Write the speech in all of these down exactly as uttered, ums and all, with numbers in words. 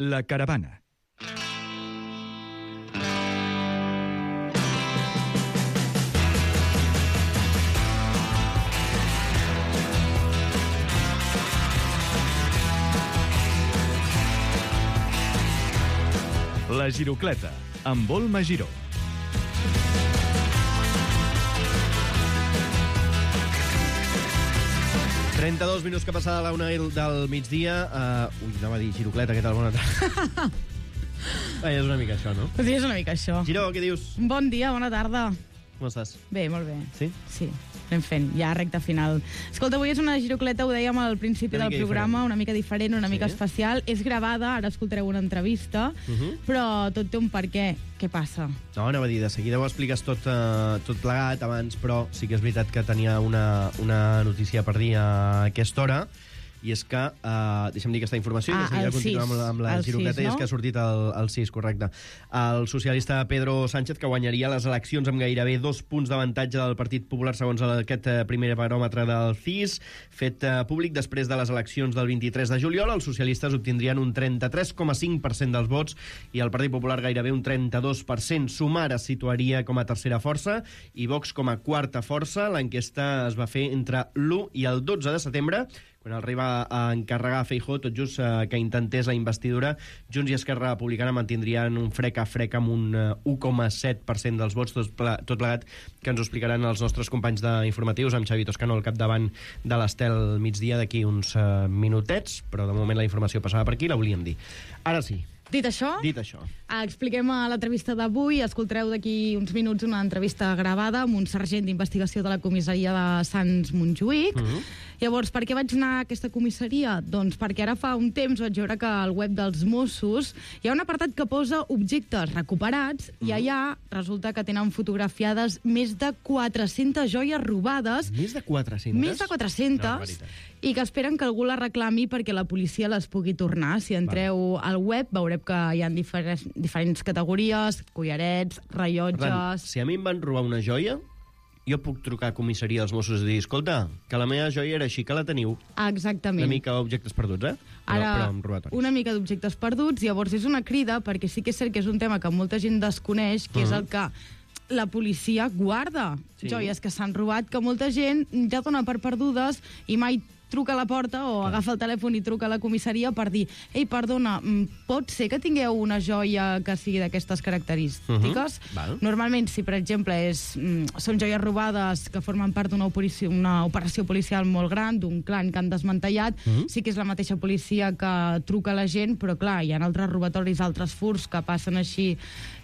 La caravana. La Girocleta, amb Olma Giró. trenta-dos minuts que passa de la una del migdia. Uh, ui, anava a dir Girocleta, què tal? Bona tarda. Ah, és una mica això, no? Sí, és una mica això. Giró, què dius? Bon dia, bona tarda. Com estàs? Bé, molt bé. Sí? Sí, anem fent, ja recta final. Escolta, avui és una girocleta, ho dèiem al principi Una del mica programa, diferent. una mica diferent, una Sí? mica especial. És gravada, ara escoltareu una entrevista, Uh-huh. però tot té un per què. Què passa? No, anava a dir, de seguida ho expliques tot, uh, tot plegat abans, però sí que és veritat que tenia una, una notícia per dir a aquesta hora, i és que, uh, deixa'm dir aquesta informació, Ah, i de seguida el continuem amb, sis. la- amb la El girocleta, sis, i és no? que ha sortit el, el sis, correcte. El socialista Pedro Sánchez, que guanyaria les eleccions amb gairebé dos punts d'avantatge del Partit Popular segons aquest eh, primer baròmetre del C I S, fet eh, públic després de les eleccions del vint-i-tres de juliol. Els socialistes obtindrien un trenta-tres coma cinc per cent dels vots i el Partit Popular gairebé un trenta-dos per cent. Sumar es situaria com a tercera força i Vox com a quarta força. L'enquesta es va fer entre l'u i el dotze de setembre, quan el rei va encarregar a Feijóo, tot just eh, que intentés la investidura. Junts i Esquerra Republicana mantindrien un frec a frec amb un eh, u coma set per cent dels vots, tot, ple, tot plegat, que ens ho explicaran els nostres companys d'informatius, amb Xavi Toscano al capdavant de l'Estel migdia d'aquí uns eh, minutets, però de moment la informació passava per aquí, la volíem dir. Ara sí, Dit això, dit això. expliquem a l'entrevista d'avui. Escoltareu d'aquí uns minuts una entrevista gravada amb un sergent d'investigació de la comissaria de Sants Montjuïc. Mhm. Llavors, per què vaig anar a aquesta comissaria? Doncs perquè ara fa un temps vaig veure que al web dels Mossos hi ha un apartat que posa objectes recuperats i allà resulta que tenen fotografiades més de quatre-centes joies robades, Més de quatre-centes? més de Una quatre-centes, barbaritat. i que esperen que algú la reclami perquè la policia les pugui tornar. Si entreu al web veureu que hi ha diferents, diferents categories, collarets, Per tant, rellotges... si a mi em van robar una joia, jo puc trucar a comissaria dels Mossos i dir, escolta, que la meva joia era així, que la teniu. Exactament. Una mica objectes perduts, eh? Però, Ara, però amb robatoris. una mica d'objectes perduts, llavors és una crida, perquè sí que és cert que és un tema que molta gent desconeix, que és el que la policia guarda. Sí. Joies que s'han robat, que molta gent ja dona per perdudes i mai truca a la porta o Clar. agafa el telèfon i truca a la comissaria per dir ei, perdona, mm, pot ser que tingueu una joia que sigui d'aquestes característiques? Mhm. Val. Normalment, si per exemple és, mm, són joies robades que formen part d'una operació, una operació policial molt gran, d'un clan que han desmantellat, Mhm. sí que és la mateixa policia que truca a la gent, però clar, hi ha altres robatoris, altres furts que passen així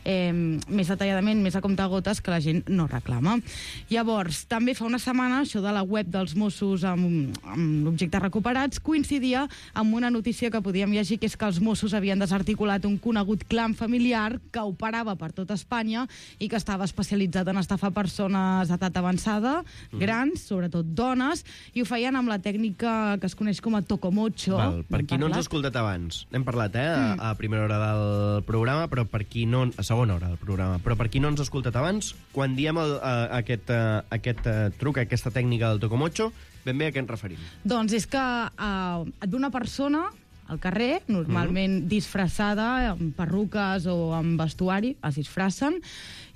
eh, més detalladament, més a comptagotes, que la gent no reclama. Llavors, també fa una setmana, això de la web dels Mossos amb, amb objectes recuperats, coincidia amb una notícia que podíem llegir, que és que els Mossos havien desarticulat un conegut clan familiar que operava per tot Espanya i que estava especialitzat en estafar persones d'edat avançada, grans, sobretot dones, i ho feien amb la tècnica que es coneix com a tocomocho. Val, per N'hem qui no ens ha parlat. escoltat abans, n'hem parlat, eh, a, a primera hora del programa, però per qui no... A segona hora del programa, però per qui no ens ha escoltat abans, quan diem el, a, aquest, a, aquest a, truc, aquesta tècnica del tocomocho, ben bé a què ens referim? Doncs és que uh, et ve una persona al carrer, normalment disfressada, amb perruques o amb vestuari, es disfressen,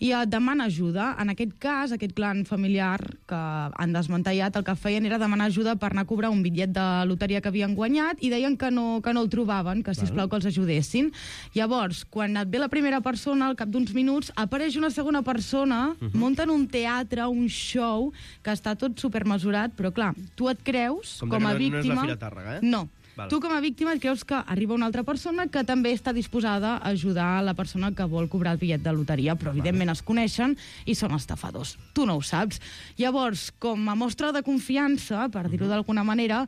i et demana ajuda. En aquest cas, aquest clan familiar que han desmantellat, el que feien era demanar ajuda per anar a cobrar un bitllet de loteria que havien guanyat i deien que no, que no el trobaven, que sisplau que els ajudessin. Llavors, quan et ve la primera persona, al cap d'uns minuts, apareix una segona persona, uh -huh. munten un teatre, un show, que està tot supermesurat, però clar, tu et creus, Com com, que a no- no és la víctima... Fira Tàrrega, eh? No. Val. Tu, com a víctima, et creus que arriba una altra persona que també està disposada a ajudar la persona que vol cobrar el bitllet de loteria, però evidentment es coneixen i són estafadors. Tu no ho saps. Llavors, com a mostra de confiança, per dir-ho d'alguna manera,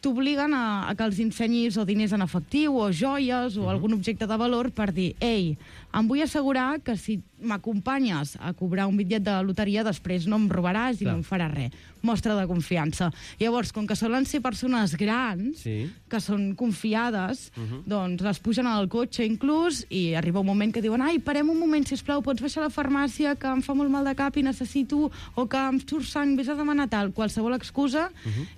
t'obliguen a, a que els ensenyis o diners en efectiu o joies o algun objecte de valor per dir, ei, em vull assegurar que si m'acompanyes a cobrar un bitllet de loteria després no em robaràs i Clar. no em faràs res. Mostra de confiança. Llavors, com que solen ser persones grans, Sí. que són confiades, doncs les pugen al cotxe inclús i arriba un moment que diuen, ai, parem un moment, sisplau, pots baixar a la farmàcia que em fa molt mal de cap i necessito, o que em surt sang, vés a demanar tal, qualsevol excusa,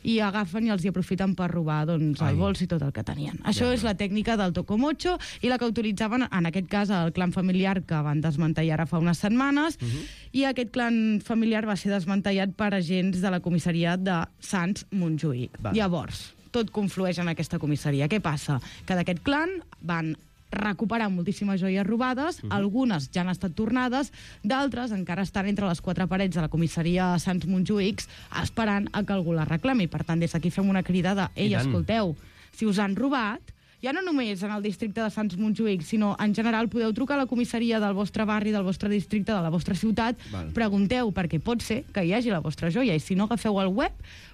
i agafen i els hi aprofiten aprofitaven per robar doncs, el bols i tot el que tenien. Això ja, és la tècnica del tocomocho i la que utilitzaven, en aquest cas, el clan familiar que van desmantellar ara fa unes setmanes, uh -huh. i aquest clan familiar va ser desmantellat per agents de la comissaria de Sants Montjuïc. Va. Llavors, tot conflueix en aquesta comissaria. Què passa? Que d'aquest clan van recuperar moltíssimes joies robades, uh -huh. algunes ja han estat tornades, d'altres encara estan entre les quatre parets de la comissaria de Sants Montjuïc esperant a que algú les reclami. Per tant, des d'aquí fem una crida de ei, escolteu, si us han robat, ja no només en el districte de Sants Montjuïc, sinó en general podeu trucar a la comissaria del vostre barri, del vostre districte, de la vostra ciutat, Val. pregunteu, perquè pot ser que hi hagi la vostra joia, i si no, agafeu el web,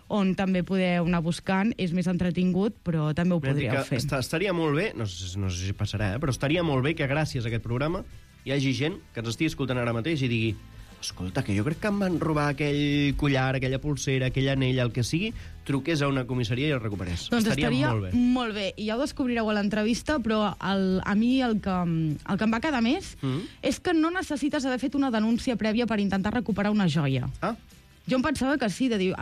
on també podeu anar buscant, és més entretingut, però també ho podríeu fer. Estaria molt bé, no sé, no sé si passarà, eh, però estaria molt bé que gràcies a aquest programa hi hagi gent que ens estigui escoltant ara mateix i digui escolta, que jo crec que em van robar aquell collar, aquella pulsera, aquell anell, el que sigui, truqués a una comissaria i el recuperés. Doncs estaria, estaria molt bé. molt bé. I ja ho descobrireu a l'entrevista, però el, a mi el que, el que em va quedar més mm. és que no necessites haver fet una denúncia prèvia per intentar recuperar una joia. Ah. Jo em pensava que sí, de dir...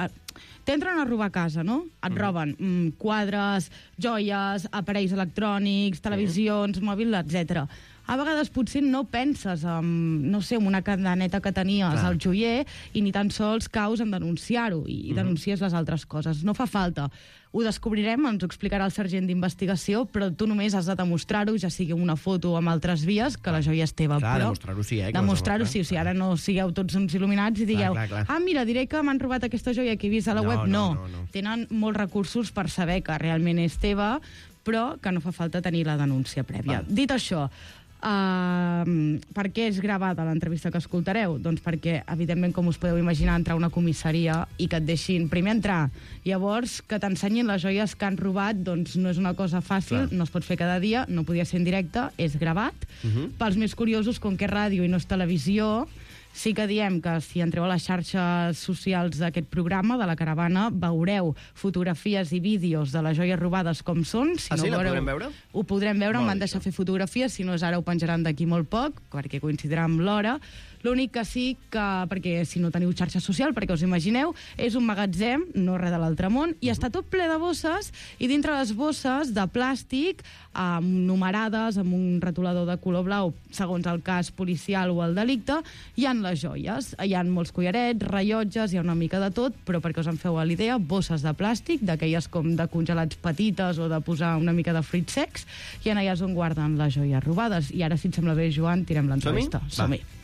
T'entren a robar a casa, no? Et mm. roben mm, quadres, joies, aparells electrònics, televisions, mm. mòbil, etcètera. A vegades potser no penses en, no sé, en una cadeneta que tenies Clar. al joier i ni tan sols caus en denunciar-ho i mm. denuncies les altres coses. No fa falta. Ho descobrirem, ens ho explicarà el sergent d'investigació, però tu només has de demostrar-ho, ja sigui una foto o amb altres vies, que la joia és teva. Clar, però demostrar-ho sí, eh? Demostrar-ho sí, o sigui, ara no sigueu tots uns il·luminats i digueu, clar, clar, clar. ah, mira, diré que m'han robat aquesta joia que he vist a la no, web. No, no, no, no. Tenen molts recursos per saber que realment és teva, però que no fa falta tenir la denúncia prèvia. Va. Dit això, Uh, per què és gravada l'entrevista que escoltareu? Doncs perquè, evidentment, com us podeu imaginar, entrar a una comissaria i que et deixin primer entrar, llavors que t'ensenyin les joies que han robat, doncs no és una cosa fàcil, Clar. no es pot fer cada dia, no podia ser en directe, és gravat. Uh -huh. Pels més curiosos, com que és ràdio i no és televisió, sí que diem que si entreu a les xarxes socials d'aquest programa, de la Caravana, veureu fotografies i vídeos de les joies robades com són. Si ah, no sí? veureu, la podrem veure? Ho podrem veure, em van deixar fer fotografies, si no és ara ho penjaran d'aquí molt poc, perquè coincidirà amb l'hora. L'únic que sí que, perquè si no teniu xarxa social, perquè us imagineu, és un magatzem, no res de l'altre món, i està tot ple de bosses, i dintre les bosses de plàstic, eh, numerades, amb un retolador de color blau, segons el cas policial o el delicte, hi ha les joies. Hi ha molts collarets, rellotges, hi ha una mica de tot, però perquè us en feu a l'idea, bosses de plàstic, d'aquelles com de congelats petites o de posar una mica de fruits secs, i en allà és on guarden les joies robades. I ara, si et sembla bé, Joan, tirem l'entrevista. Som-hi? Som-hi.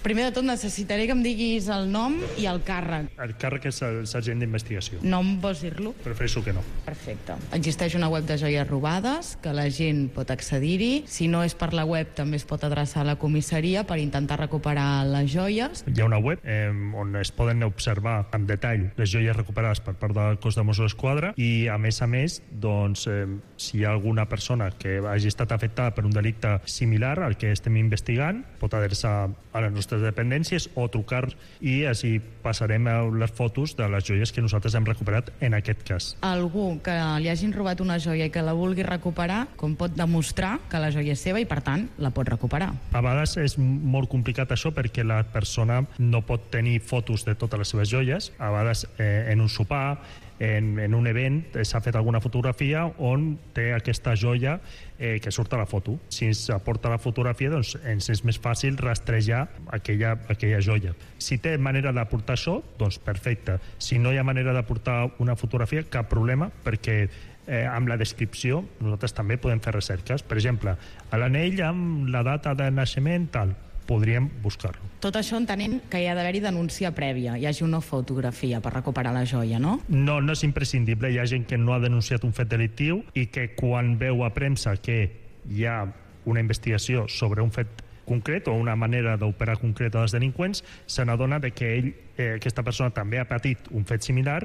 Primer de tot necessitaré que em diguis el nom i el càrrec. El càrrec és el sergent d'investigació. Nom vols dir-lo? Prefereixo que no. Perfecte. Existeix una web de joies robades, que la gent pot accedir-hi. Si no és per la web, també es pot adreçar a la comissaria per intentar recuperar les joies. Hi ha una web eh, on es poden observar en detall les joies recuperades per part del cos de Mossos d'Esquadra i, a més a més, doncs, eh, si hi ha alguna persona que hagi estat afectada per un delicte similar al que estem investigant, pot adreçar a les nostres dependències o trucar i així passarem les fotos de les joies que nosaltres hem recuperat en aquest cas. Algú que li hagin robat una joia i que la vulgui recuperar, com pot demostrar que la joia és seva i, per tant, la pot recuperar? A vegades és molt complicat això perquè la persona no pot tenir fotos de totes les seves joies. A vegades eh, en un sopar, en, en un event, s'ha fet alguna fotografia on té aquesta joia eh, que surt a la foto. Si ens aporta la fotografia, doncs ens és més fàcil rastrejar aquella, aquella joia. Si té manera d'aportar això, doncs perfecte. Si no hi ha manera d'aportar una fotografia, cap problema, perquè eh, amb la descripció nosaltres també podem fer recerques. Per exemple, a l'anell amb la data de naixement, tal, podríem buscar-lo. Tot això entenent que hi ha d'haver-hi denúncia prèvia, hi hagi una fotografia per recuperar la joia, no? No, no és imprescindible. Hi ha gent que no ha denunciat un fet delictiu i que quan veu a premsa que hi ha una investigació sobre un fet concret o una manera d'operar concreta dels delinqüents, se n'adona que ell, eh, aquesta persona també ha patit un fet similar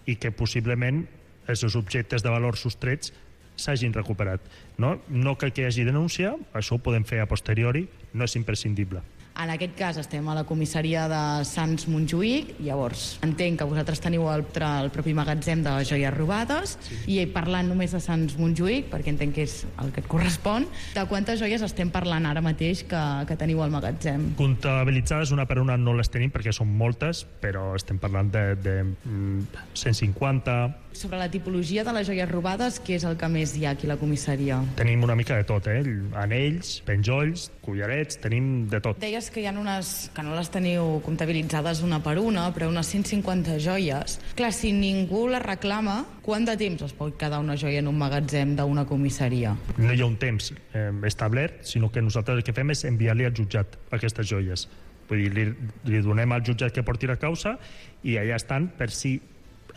i que possiblement els seus objectes de valor sostrets s'hagin recuperat. No, no cal que hi hagi denúncia, això ho podem fer a posteriori, no és imprescindible. En aquest cas estem a la comissaria de Sants Montjuïc, llavors entenc que vosaltres teniu el, el propi magatzem de joies robades, sí. I parlant només de Sants Montjuïc, perquè entenc que és el que et correspon, de quantes joies estem parlant ara mateix que, que teniu al magatzem? Comptabilitzades una per una no les tenim perquè són moltes, però estem parlant de, de cent cinquanta, Sobre la tipologia de les joies robades, què és el que més hi ha aquí a la comissaria? Tenim una mica de tot, eh? Anells, penjolls, collarets, tenim de tot. Deies que hi ha unes que no les teniu comptabilitzades una per una, però unes cent cinquanta joies. Clar, si ningú les reclama, quant de temps es pot quedar una joia en un magatzem d'una comissaria? No hi ha un temps eh, establert, sinó que nosaltres el que fem és enviar-li al jutjat aquestes joies. Vull dir, li, li donem al jutjat que porti la causa i allà estan per si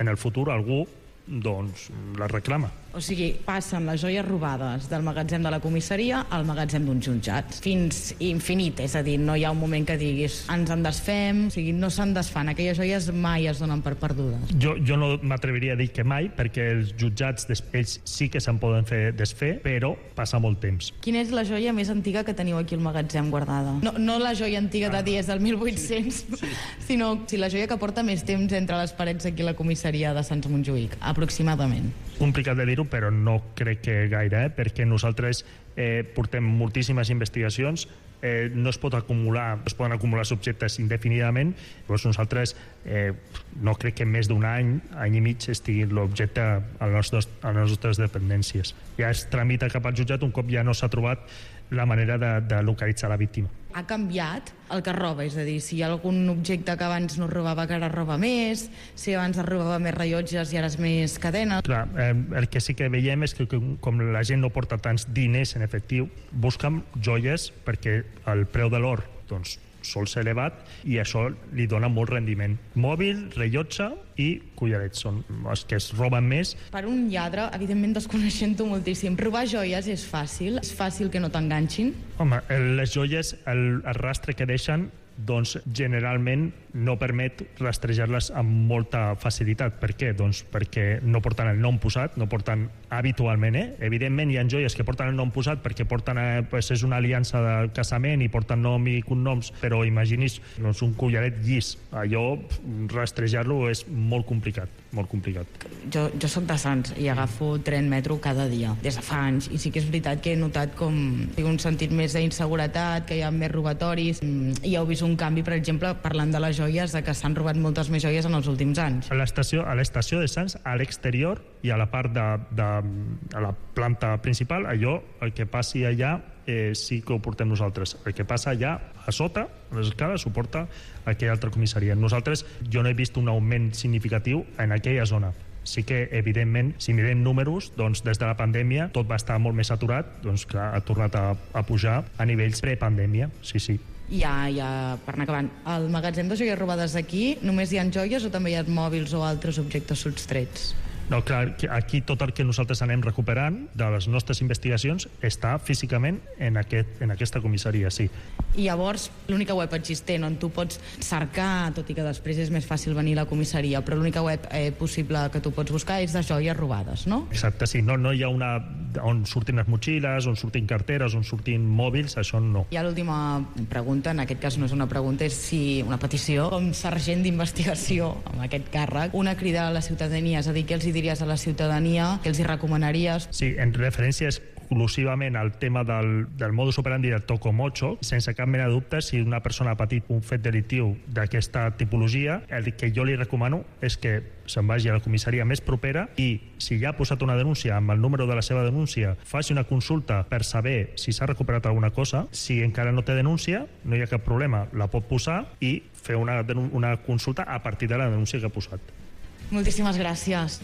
en el futur algú doncs la reclama. O sigui, passen les joies robades del magatzem de la comissaria al magatzem d'un jutjat. Fins infinit, és a dir, no hi ha un moment que diguis ens en desfem, o sigui, no se'n desfan. Aquelles joies mai es donen per perdudes. Jo, jo no m'atreviria a dir que mai, perquè els jutjats ells sí que se'n poden fer desfer, però passa molt temps. Quina és la joia més antiga que teniu aquí al magatzem guardada? No, no la joia antiga de dies del mil vuit-cents, sí, sí. sinó si la joia que porta més temps entre les parets aquí a la comissaria de Sants Montjuïc, aproximadament. Complicat de dir-ho, però no crec que gaire, eh? perquè nosaltres eh, portem moltíssimes investigacions, eh, no es pot acumular, es poden acumular subjectes indefinidament, llavors nosaltres eh, no crec que més d'un any, any i mig, estigui l'objecte a les nostres, a les nostres dependències. Ja es tramita cap al jutjat un cop ja no s'ha trobat la manera de, de localitzar la víctima. Ha canviat el que roba, és a dir, si hi ha algun objecte que abans no robava que ara roba més, si abans es robava més rellotges i ara és més cadena. Clar, eh, el que sí que veiem és que com la gent no porta tants diners en efectiu, busquen joies perquè el preu de l'or doncs, sol ser elevat i això li dona molt rendiment. Mòbil, rellotge i collarets són els que es roben més. Per un lladre, evidentment desconeixent-ho moltíssim, robar joies és fàcil? És fàcil que no t'enganxin? Home, les joies, el, el rastre que deixen doncs generalment no permet rastrejar-les amb molta facilitat. Per què? Doncs perquè no porten el nom posat, no porten habitualment, eh? Evidentment hi ha joies que porten el nom posat perquè porten, eh, pues és una aliança de casament i porten nom i cognoms, però imaginis doncs, un collaret llis. Allò, rastrejar-lo és molt complicat, molt complicat. Jo, jo soc de Sants i agafo tren metro cada dia, des de fa anys, i sí que és veritat que he notat com tinc un sentit més d'inseguretat, que hi ha més robatoris, i heu vist un canvi, per exemple, parlant de les joies, de que s'han robat moltes més joies en els últims anys. A l'estació, a l'estació de Sants, a l'exterior i a la part de, de a la planta principal, allò, el que passi allà eh, sí que ho portem nosaltres. El que passa allà a sota, a les escales, ho porta aquella altra comissaria. Nosaltres, jo no he vist un augment significatiu en aquella zona. Sí que, evidentment, si mirem números, doncs des de la pandèmia tot va estar molt més saturat, doncs clar, ha tornat a, a pujar a nivells prepandèmia, sí, sí. Ja, ja, per anar acabant, al magatzem de joies robades aquí només hi ha joies o també hi ha mòbils o altres objectes sostrets? No, clar, aquí tot el que nosaltres anem recuperant de les nostres investigacions està físicament en, aquest, en aquesta comissaria, sí. I llavors, l'única web existent on tu pots cercar, tot i que després és més fàcil venir a la comissaria, però l'única web eh, possible que tu pots buscar és de joies robades, no? Exacte, sí. No, no hi ha una on surtin les motxilles, on surtin carteres, on surtin mòbils, això no. I l'última pregunta, en aquest cas no és una pregunta, és si una petició, com sergent d'investigació amb aquest càrrec, una crida a la ciutadania, és a dir, què els hi diries a la ciutadania, què els hi recomanaries? Sí, en referència exclusivament al tema del, del modus operandi del tocomocho, sense cap mena de dubte, si una persona ha patit un fet delictiu d'aquesta tipologia, el que jo li recomano és que se'n vagi a la comissaria més propera i, si ja ha posat una denúncia amb el número de la seva denúncia, faci una consulta per saber si s'ha recuperat alguna cosa. Si encara no té denúncia, no hi ha cap problema, la pot posar i fer una, una consulta a partir de la denúncia que ha posat. Moltíssimes gràcies.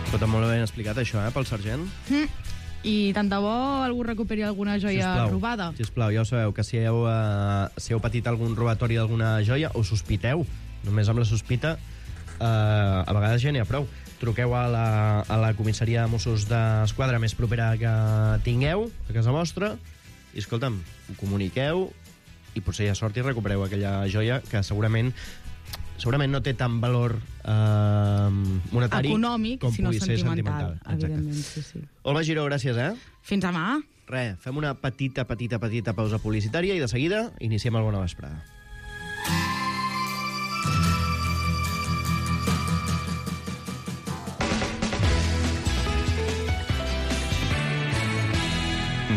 Tot molt ben explicat, això, eh, pel sergent. Mm. I tant de bo algú recuperi alguna joia Sisplau, robada. Sisplau, ja ho sabeu, que si heu, uh, si heu patit algun robatori d'alguna joia, o sospiteu, només amb la sospita, uh, a vegades ja n'hi ha prou. Truqueu a la, a la comissaria de Mossos d'Esquadra més propera que tingueu, a casa vostra, i, escolta'm, ho comuniqueu, i potser hi ha sort i recupereu aquella joia que segurament segurament no té tant valor eh, monetari econòmic, com sinó pugui ser sentimental. sentimental. Evidentment, sí, sí. Olga Giró, gràcies, eh? Fins demà. Re, fem una petita, petita, petita pausa publicitària i de seguida iniciem el Bona Vesprada.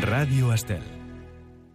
Ràdio Estel.